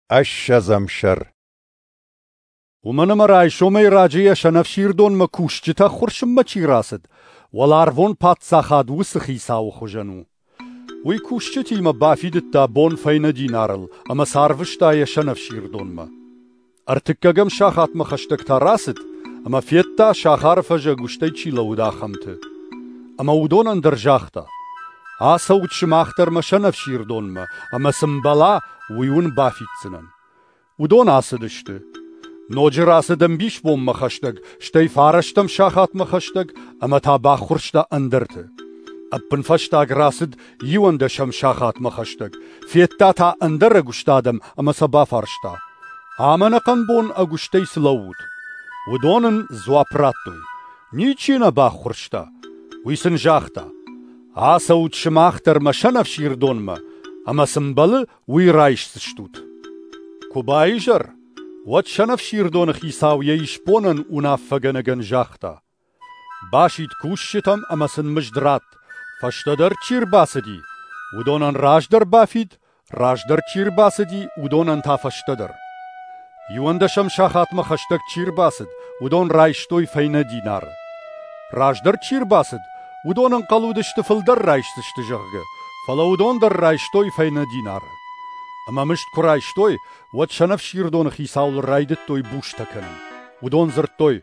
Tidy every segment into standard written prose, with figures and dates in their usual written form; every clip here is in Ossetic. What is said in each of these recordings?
Ӕссӕдзӕм сӕр. Уымӕн ӕмӕ райсомӕй раджы йӕ сӕнӕфсирдонмӕ кусджытӕ ӕххуырсынмӕ чи рацыд, уӕларвон паддзахад уыцы хицауы хуызӕн у. Уый кусджытимӕ бафидыдта бон фӕйнӕ динарыл ӕмӕ сӕ арвыста йӕ сӕнӕфсирдонмӕ. Ӕртыккӕгӕм сахатмӕ хӕстӕг та рацыд ӕмӕ федта, сахары фӕзы ӕгуыстӕй чи лӕууыд, ахӕмты. Ӕмӕ уыдонӕн дӕр загъта: «Ацӕут сымах дӕр мӕ сӕнӕфсирдонмӕ, ӕмӕ цы мбӕла, уый уын бафиддзынӕн». Уыдон ацыдысты. Ноджы рацыд ӕмбисбонмӕ хӕстӕг, стӕй фарӕстӕм сахатмӕ хӕстӕг ӕмӕ та баххуырста ӕндӕрты. Ӕппынфӕстаг рацыд иуӕндӕсӕм сахатмӕ хӕстӕг, федта та ӕндӕр ӕгуыст адӕм ӕмӕ сӕ бафарста: «Ам ӕнӕхъӕн бон ӕгуыстӕй цы лӕуут?» Уыдон ын дзуапп радтой: «Ничи нӕ баххуырста». Уый сын загъта: «Ацӕут сымах дӕр мӕ сӕнӕфсирдонмӕ, ӕмӕ цы мбӕлы, уый райсдзыстут». Куы баизӕр, уӕд сӕнӕфсирдоны хицау йӕ исбонӕн уынаффӕгӕнӕгӕн загъта: «Басидт кусджытӕм ӕмӕ сын мызд ратт, фӕстӕдӕр чи рбацыди, уыдонӕн раздӕр бафид, раздӕр чи рбацыди, уыдонӕн та фӕстӕдӕр». Иуӕндӕсӕм сахатмӕ хӕстӕг чи рбацыд, уыдон райстой фӕйнӕ динары. Раздӕр чи рбацыд, уыдон ӕнхъӕл уыдысты фылдӕр райсдзысты, зӕгъгӕ, фӕлӕ уыдон дӕр райстой фӕйнӕ динары. Ӕмӕ мызд куы райстой, уӕд сӕнӕфсирдоны хицауыл райдыдтой бустӕ кӕнын. Уыдон дзырдтой: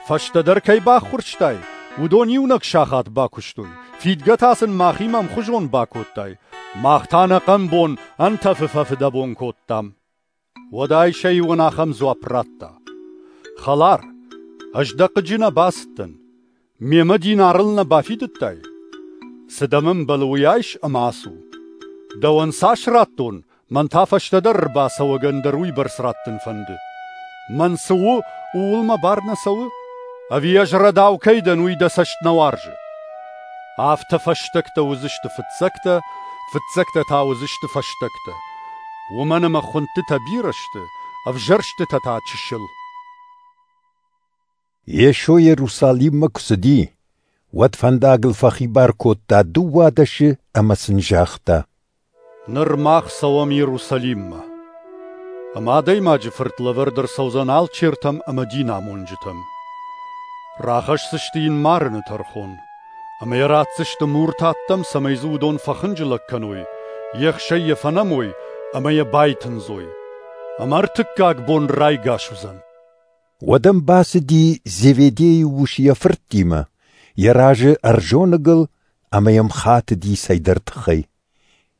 «Фӕстӕдӕр кӕй баххуырстай, уыдон иунӕг сахат бакуыстой, фидгӕ та сын махимӕ ӕмхуызон бакодтай, мах та ӕнӕхъӕн бон ӕнтӕфы фӕфыдӕбон кодтам». Уӕд ӕй сӕ иуӕн ахӕм дзуапп радта: «Хӕлар, ӕз дӕ хъыджы нӕ бацыдтӕн. Мемӕ динарыл нӕ бафидыдтай? Цы дӕм ӕмбӕлы, уый айс ӕмӕ ацу. Дӕуӕн цас радтон, мӕн та фӕстӕдӕр ӕрбацӕуӕгӕн дӕр уыйбӕрц раттын фӕнды. Мӕн цы у, ууыл мӕ бар нӕ цӕуы? Ӕви ӕз рӕдау кӕй дӕн, уый дӕ цӕст нӕ уарзы?» Афтӕ фӕстӕгтӕ уыдзысты фыццӕгтӕ, фыццӕгтӕ та уыдзысты фӕстӕгтӕ. Уымӕн ӕмӕ хуындтытӕ бирӕ сты, ӕвзӕрстытӕ та чысыл. Йесо Иерусалиммӕ куы цыди, уӕд фӕндагыл фӕхибар кодта дыууадӕсы ӕмӕ сын загъта: Ныр мах цӕуӕм Иерусалиммӕ. Ӕмӕ Адӕймаджы Фырт лӕвӕрд ӕрцӕудзӕн алчертӕм ӕмӕ динамонджытӕм. Рахӕсдзысты йын марыны тӕрхон, ӕмӕ йӕ ратдзысты муртаттӕм, цӕмӕй дзы уыдон фӕхынджылӕг кӕной, ехсӕй йӕ фӕнӕмой ӕмӕ йӕ байтындзой. Ӕмӕ ӕртыккаг бон райгас уыдзӕн. Уӕд ӕм бацыди Зеведейы ус йӕ фырттимӕ, йӕ разы ӕрзоныгыл ӕмӕ йӕм хатыди цӕйдӕр тыххӕй.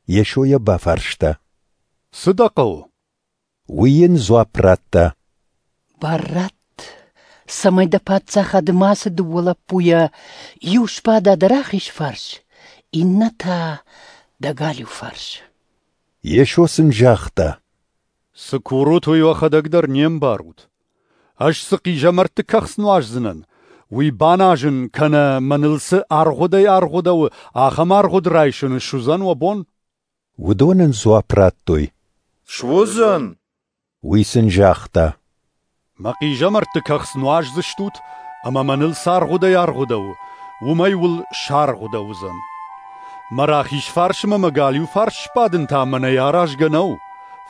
Йесо йӕ бафарста: Цы дӕ хъӕуы? Уый йын дзуапп радта: Бар ратт, цӕмӕй дӕ паддзахады ма цы дыууӕ лӕппуйӕ иу сбада дӕ рахиз фарс, иннӕ та дӕ галиу фарс. Йесо сын загъта: Цы курут, уый уӕхӕдӕг дӕр не мбарут. Ӕз цы хъизӕмӕртты кӕхц нуаздзынӕн, уый баназын кӕнӕ мӕныл цы аргъуыдӕй аргъуыдӕуы, ахӕм аргъуыд райсын суыдзӕн уӕ бон? Уыдон ын дзуапп радтой: Суыдзӕн. Уый сын загъта: Мӕ хъизӕмӕртты кӕхц нуаздзыстут, ӕмӕ мӕныл цы аргъуыдӕй аргъуыдӕуы, уымӕй уыл саргъуыдӕуыдзӕн. Мӕ рахиз фарсмӕ мӕ галиу фарс сбадын та мӕнӕй аразгӕ нӕу,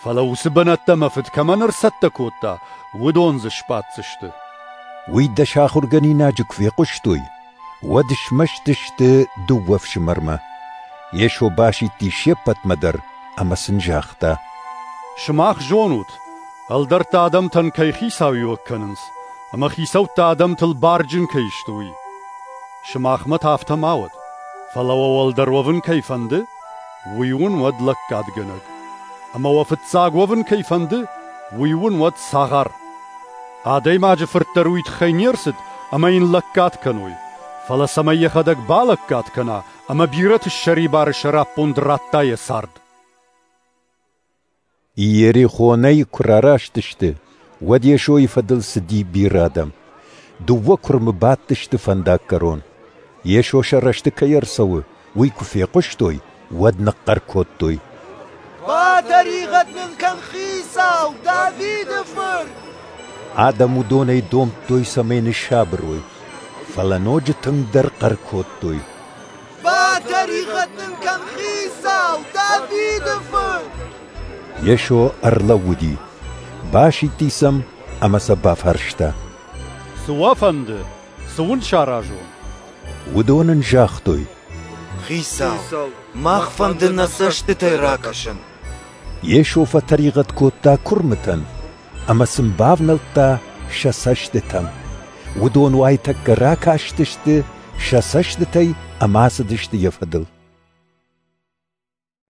фӕлӕ уыцы бынӕттӕ мӕ фыд кӕмӕн ӕрцӕттӕ кодта, уыдон дзы сбаддзысты. Уый дӕс ахуыргӕнинаджы куы фехъуыстой, уӕд смӕсты сты дыууӕ фсымӕрмӕ. Йесо басидти се ппӕтмӕ дӕр ӕмӕ сын загъта: Сымах зонут, ӕлдӕрттӕ адӕмтӕн кӕй хицауиуӕг кӕнынц, ӕмӕ хицӕуттӕ адӕмтыл барджын кӕй сты, уый. Сымахмӕ та афтӕ ма уӕд, фӕлӕ уӕ уӕлдӕр уӕвын кӕй фӕнды, уый уын уӕд лӕггадгӕнӕг. Ӕмӕ уӕ фыццаг уӕвын кӕй фӕнды, уый уын уӕд цагъар. Адӕймаджы Фырт дӕр уый тыххӕй не рцыд, ӕмӕ йын лӕггад кӕной, фӕлӕ цӕмӕй йӕхӕдӕг балӕггад кӕна ӕмӕ бирӕты ссӕрибары сӕраппонд радта йӕ цард. Иерихонӕй куы рараст сты, уӕд Йесойы фӕдыл цыди бирӕ адӕм. Дыууӕ куырмы бадтысты фӕндаггӕрон. Йесо сӕ рӕзты кӕй ӕрцӕуы, уый куы фехъуыстой, уӕд ныхъхъӕр кодтой: Батӕригъӕд нын кӕн, Хицау, Давиды фырт! Адӕм уыдонӕй домдтой, цӕмӕй ныссабыр уой, фӕлӕ ноджы тынгдӕр хъӕр кодтой: Батӕригъӕд нын кӕн, Хицау, Давиды фырт! Йесо ӕрлӕууыди, басидти сӕм ӕмӕ сӕ бафарста: Цы уӕ фӕнды, цы уын саразон? Уыдон ын загътой: Хицау, мах фӕнды нӕ цӕстытӕй ракӕсын. Йесо фӕтӕригъӕд кодта куырмытӕн ӕмӕ сын бавнӕлдта сӕ цӕстытӕм. Уыдон уайтӕккӕ ракастысты сӕ цӕстытӕй ӕмӕ ацыдысты йӕ фӕдыл.